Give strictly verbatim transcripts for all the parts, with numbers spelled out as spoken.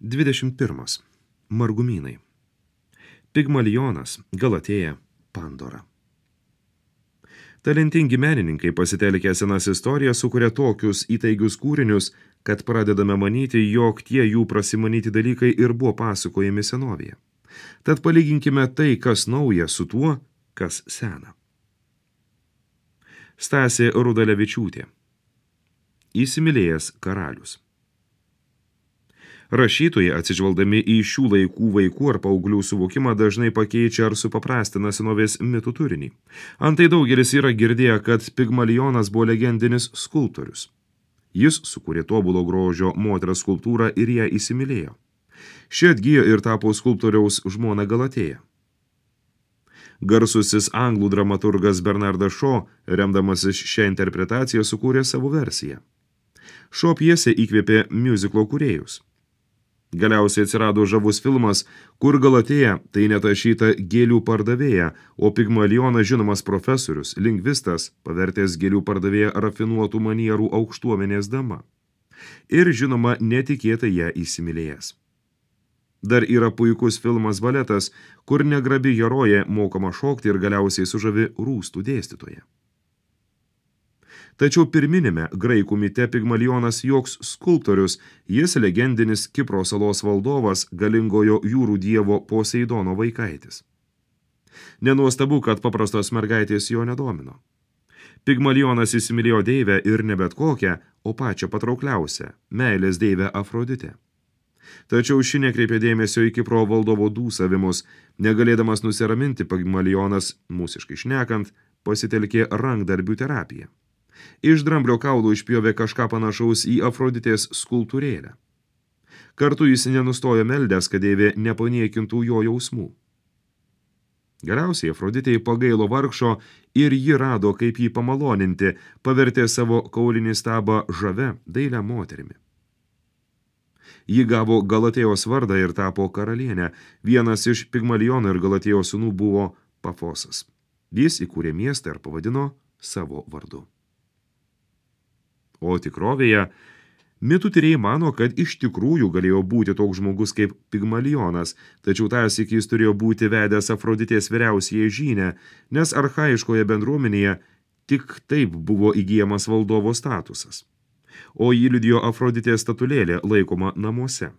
dvidešimt pirmas. Margumynai. Pigmalionas, Galatėja, Pandora. Talentingi menininkai pasitelkę senas istorijas sukuria tokius įtaigius kūrinius, kad pradedame manyti, jog tie jų prasimanyti dalykai ir buvo pasakojami senovėje. Tad palyginkime tai, kas nauja, su tuo, kas sena. Stasė Rudalevičiūtė. Įsimylėjęs karalius. Rašytojai, atsižvelgdami į šių laikų vaikų ar paauglių suvokimą, dažnai pakeičia ar supaprastina senovės mitų turinį. Antai daugelis yra girdėję, kad Pigmalionas buvo legendinis skulptorius. Jis sukūrė tobulo grožio moters skulptūrą ir ją įsimylėjo. Ši atgijo ir tapo skulptoriaus žmona Galatėja. Garsusis anglų dramaturgas Bernardas Shaw, remdamasis šią interpretaciją, sukūrė savo versiją. Shaw pjesė įkvėpė miuziklo kūrėjus. Galiausiai atsirado žavus filmas, kur Galatėja tai netašyta gėlių pardavėja, o Pigmalionas žinomas profesorius, lingvistas, pavertęs gėlių pardavėją rafinuotų manierų aukštuomenės dama. Ir žinoma, netikėtai ją įsimylėjęs. Dar yra puikus filmas Baletas, kur negrabi herojė mokoma šokti ir galiausiai sužavi rūstų dėstytoje. Tačiau pirminėme graikų mite Pigmalionas joks skulptorius, jis legendinis Kipro salos valdovas, galingojo jūrų dievo Poseidono vaikaitis. Nenuostabu, kad paprastos mergaitės jo nedomino. Pigmalionas įsimylėjo deivę ir ne bet kokią, o pačią patraukliausią, meilės deivę Afroditę. Tačiau ši nekreipė dėmesio į Kipro valdovo dūsavimus, negalėdamas nusiraminti, Pigmalionas, mūsiškai šnekant, pasitelkė rankdarbių terapiją. Iš dramblio kaulų išpjovė kažką panašaus į Afroditės skulptūrėlę. Kartu jis nenustojo meldęs, kad deivė nepaniekintų jo jausmų. Galiausiai Afroditei pagailo vargšo ir ji rado, kaip jį pamaloninti, pavertė savo kaulinį stabą žavia dailią moterimi. Ji gavo Galatėjos vardą ir tapo karalienę. Vienas iš Pigmaliono ir Galatėjos sūnų buvo Pafosas. Jis įkūrė miestą ir pavadino savo vardu. O tikrovėje, mitų tyrėjai mano, kad iš tikrųjų galėjo būti toks žmogus kaip Pigmalionas, tačiau tąsyk jis turėjo būti vedęs Afroditės vyriausiąją žynę, nes archaiškoje bendruomenėje tik taip buvo įgyjamas valdovo statusas. O jį liudijo Afroditės statulėlė laikoma namuose.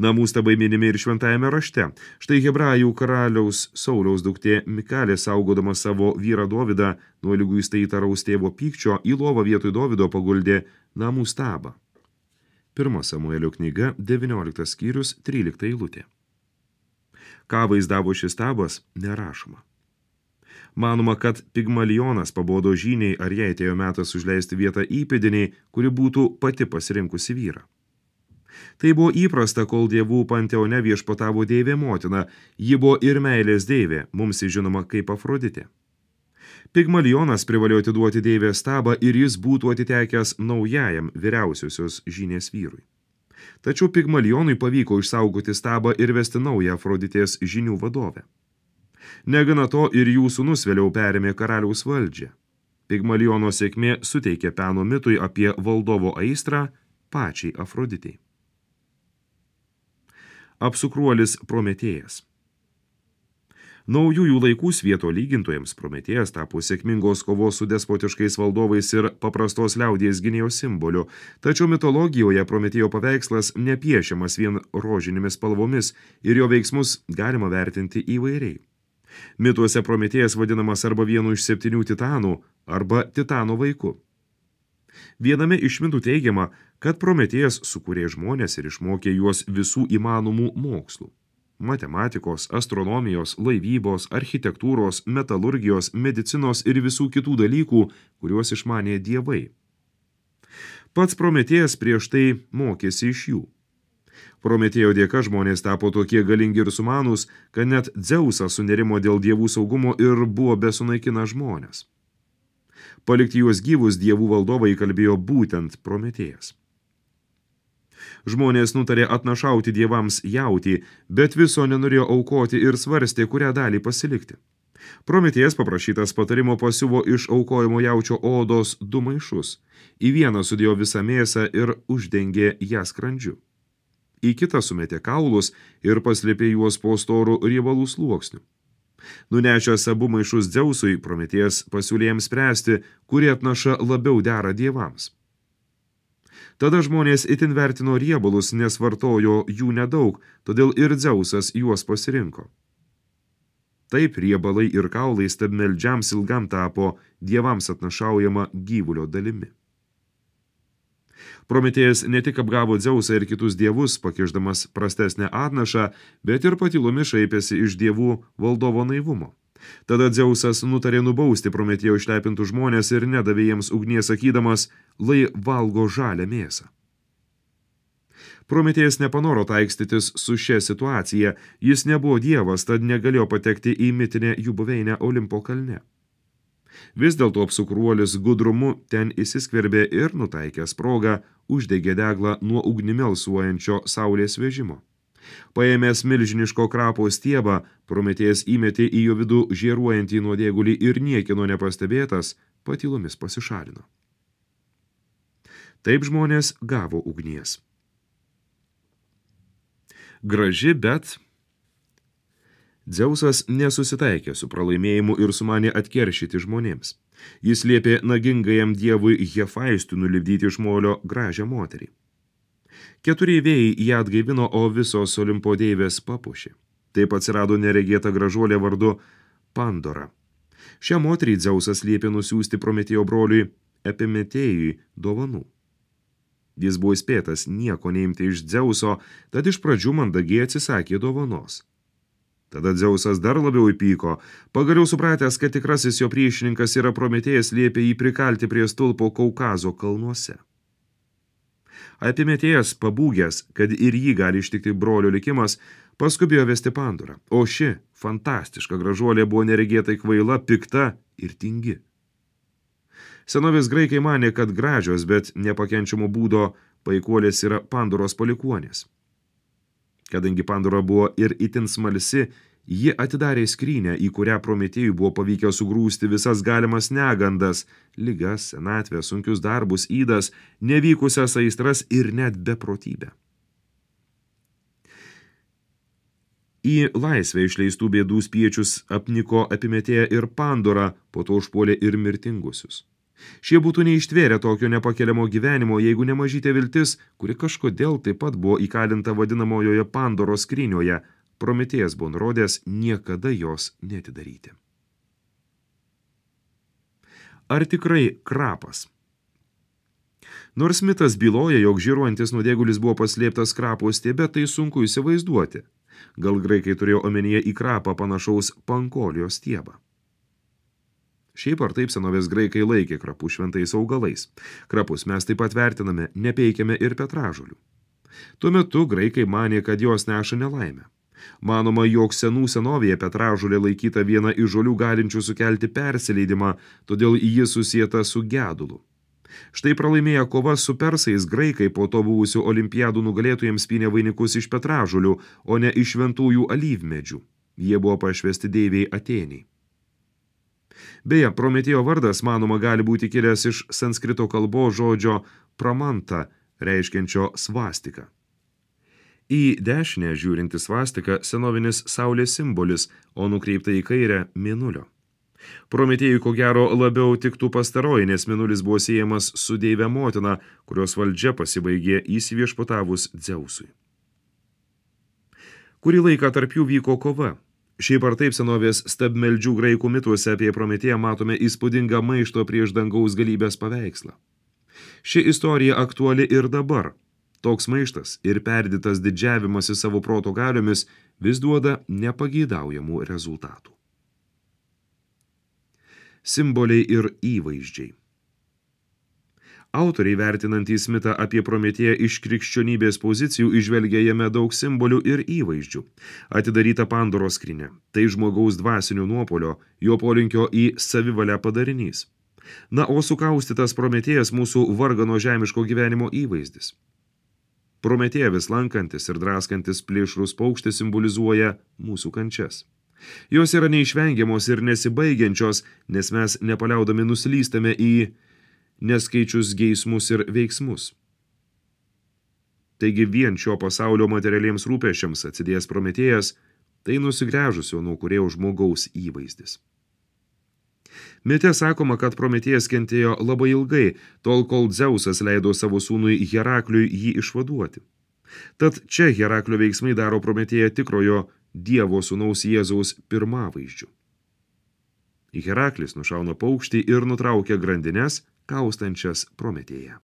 Namų stabai minimi ir šventajame rašte. Štai hebrajų karaliaus Sauliaus duktė Mikalė, saugodama savo vyrą Dovydą nuo liguistai įtaraus tėvo pykčio, į lovą vietoj Dovydo paguldė namų stabą. Pirma Samuelio knyga, devynioliktas skyrius, trylikta eilutė. Ką vaizdavo šis stabas, nerašoma. Manoma, kad Pigmalionas pabodo žyniai, ar jai atėjo metas užleisti vietą įpėdiniai, kuri būtų pati pasirinkusi vyrą. Tai buvo įprasta, kol dievų panteone viešpatavo deivė motina, ji buvo ir meilės deivė, mums žinoma kaip Afroditė. Pigmalionas privalėjo atiduoti deivės stabą ir jis būtų atitekęs naujajam vyriausiosios žynės vyrui. Tačiau Pigmalionui pavyko išsaugoti stabą ir vesti naują Afroditės žynių vadovę. Negana to ir jų sūnus vėliau perėmė karaliaus valdžią. Pigmaliono sėkmė suteikė peno mitui apie valdovo aistrą pačiai Afroditei. Apsukruolis Prometėjas. Naujųjų laikų svieto lygintojams Prometėjas tapo sėkmingos kovos su despotiškais valdovais ir paprastos liaudies gynėjo simboliu, tačiau mitologijoje Prometėjo paveikslas nepiešiamas vien rožinėmis spalvomis ir jo veiksmus galima vertinti įvairiai. Mituose Prometėjas vadinamas arba vienu iš septynių titanų, arba titano vaiku. Viename iš mitų teigiama, kad Prometėjas sukūrė žmonės ir išmokė juos visų įmanomų mokslų – matematikos, astronomijos, laivybos, architektūros, metalurgijos, medicinos ir visų kitų dalykų, kuriuos išmanė dievai. Pats Prometėjas prieš tai mokėsi iš jų. Prometėjo dėka žmonės tapo tokie galingi ir sumanūs, kad net Dzeusas sunerimo dėl dievų saugumo ir buvo besunaikina žmonės. Palikti juos gyvus dievų valdovai įkalbėjo būtent Prometėjas. Žmonės nutarė atnašauti dievams jautį, bet viso nenorėjo aukoti ir svarstė, kurią dalį pasilikti. Prometėjas paprašytas patarimo pasiuvo iš aukojimo jaučio odos du maišus. Į vieną sudėjo visą mėsą ir uždengė ją skrandžiu. į kitą sumetė kaulus ir paslėpė juos po storų riebalų sluoksnių. Nunešęs abu maišus Dzeusui, Prometėjas pasiūlė jiems spręsti, kurie atnaša labiau dera dievams. Tada žmonės itin vertino riebalus, nes vartojo jų nedaug, todėl ir Dzeusas juos pasirinko. Taip riebalai ir kaulai stabmeldžiams ilgam tapo dievams atnašaujama gyvulio dalimi. Prometėjas ne tik apgavo Dzeusą ir kitus dievus, pakišdamas prastesnę atnašą, bet ir patylomis šaipėsi iš dievų valdovo naivumo. Tada Dzeusas nutarė nubausti Prometėjo išlepintų žmonės ir nedavė jiems ugnies, sakydamas, lai valgo žalią mėsą. Prometėjas nepanoro taikstytis su šia situacija, jis nebuvo dievas, tad negalėjo patekti į mitinę jų buveinę Olimpo kalne. Vis dėlto apsukruolis gudrumu ten įsiskverbė ir nutaikęs progą uždegė deglą nuo ugnimi alsuojančio saulės vežimo. Paėmęs milžiniško krapo stiebą, Prometėjas įmetė į jo vidų žėruojantį nuodėgulį ir niekino nepastebėtas, patylomis pasišalino. Taip žmonės gavo ugnies. Graži, bet Dzeusas nesusitaikė su pralaimėjimu ir sumanė atkeršyti žmonėms. Jis liepė nagingajam dievui Hefaistui nulipdyti iš molio gražią moterį. Keturi vėjai ją atgaivino, o visos Olimpo deivės papuošė. Taip atsirado neregėta gražuolė vardu Pandora. Šią moterį Dzeusas liepė nusiųsti Prometėjo broliui Epimetėjui dovanų. Jis buvo įspėtas nieko neimti iš Dzeuso, tad iš pradžių mandagiai atsisakė dovanos. Tada Dzeusas dar labiau įpyko, pagaliau supratęs, kad tikrasis jo priešininkas yra Prometėjas, liepė jį prikalti prie stulpo Kaukazo kalnuose. Epimetėjas, pabūgęs, kad ir jį gali ištikti brolio likimas, paskubėjo vesti Pandorą, o ši fantastiška gražuolė buvo neregėtai kvaila, pikta ir tingi. Senovės graikai manė, kad gražios, bet nepakenčiamo būdo paikuolės yra Pandoros palikuonės. Kadangi Pandora buvo ir itin smalsi, ji atidarė skrynę, į kurią Prometėjui buvo pavykę sugrūsti visas galimas negandas, ligas, senatvę, sunkius darbus, ydas, nevykusias aistras ir net beprotybę. Į laisvę išleistų bėdų spiečius apniko Epimetėją ir Pandorą, po to užpuolė ir mirtingusius. Šie būtų neištvėrę tokio nepakeliamo gyvenimo, jeigu nemažytė viltis, kuri kažkodėl taip pat buvo įkalinta vadinamojoje Pandoros skrynioje, Prometėjas buvo nurodęs niekada jos neatidaryti. Ar tikrai krapas? Nors mitas byloja, jog žėruojantis nuodėgulis buvo paslėptas krapo stiebe, tai sunku įsivaizduoti. Gal graikai turėjo omenyje į krapą panašaus pankolijos stiebą. Šiaip ar taip senovės graikai laikė krapų šventais augalais. Krapus mes taip pat vertiname, nepeikiame ir petražolių. Tuo metu graikai manė, kad jos neša nelaimę. Manoma, jog senų senovėje petražolė laikyta viena iš žolių galinčių sukelti persileidimą, todėl ji susieta su gedulu. Štai pralaimėję kovas su persais, graikai po to buvusių olimpiadų nugalėtojams pynė vainikus iš petražolių, o ne iš šventųjų alyvmedžių. Jie buvo pašvesti deivei Atėnei. Beje, Prometėjo vardas, manoma, gali būti kilęs iš sanskrito kalbos žodžio pramanta, reiškiančio svastiką. Į dešinę žiūrinti svastika senovinis saulės simbolis, o nukreipta į kairę mėnulio. Prometėjui ko gero labiau tiktų pastaroji, nes mėnulis buvo siejamas su deive motina, kurios valdžia pasibaigė įsiviešpatavus Dzeusui. Kurį laiką tarp jų vyko kova. Šiaip ar taip senovės stabmeldžių graikų mituose apie Prometėją matome įspūdingą maišto prieš dangaus galybės paveikslą. Ši istorija aktuali ir dabar. Toks maištas ir perdėtas didžiavimasis savo proto galiomis vis duoda nepageidaujamų rezultatų. Simboliai ir įvaizdžiai. Autoriai vertinantys mitą apie Prometėją iš krikščionybės pozicijų įžvelgia jame daug simbolių ir įvaizdžių. Atidaryta Pandoros skrynia, tai žmogaus dvasinio nuopolio, jo polinkio į savivalę padarinys. Na, o sukaustytas Prometėjas mūsų vargano žemiško gyvenimo įvaizdis. Prometėją vis lankantis ir draskantis plėšrus paukštis simbolizuoja mūsų kančias. Jos yra neišvengiamos ir nesibaigiančios, nes mes nepaliaudami nuslystame į neskaičius geismus ir veiksmus. Taigi vien šio pasaulio materialiems rūpesčiams atsidėjęs Prometėjas, tai nusigręžusio nuo kūrėjo žmogaus įvaizdis. Mite sakoma, kad Prometėjas kentėjo labai ilgai, tol kol Dzeusas leido savo sūnui Herakliui jį išvaduoti. Tad čia Heraklio veiksmai daro Prometėją tikrojo Dievo sūnaus Jėzaus pirmavaizdžiu. Heraklis nušauna paukštį ir nutraukia grandines, kaustančias Prometėją.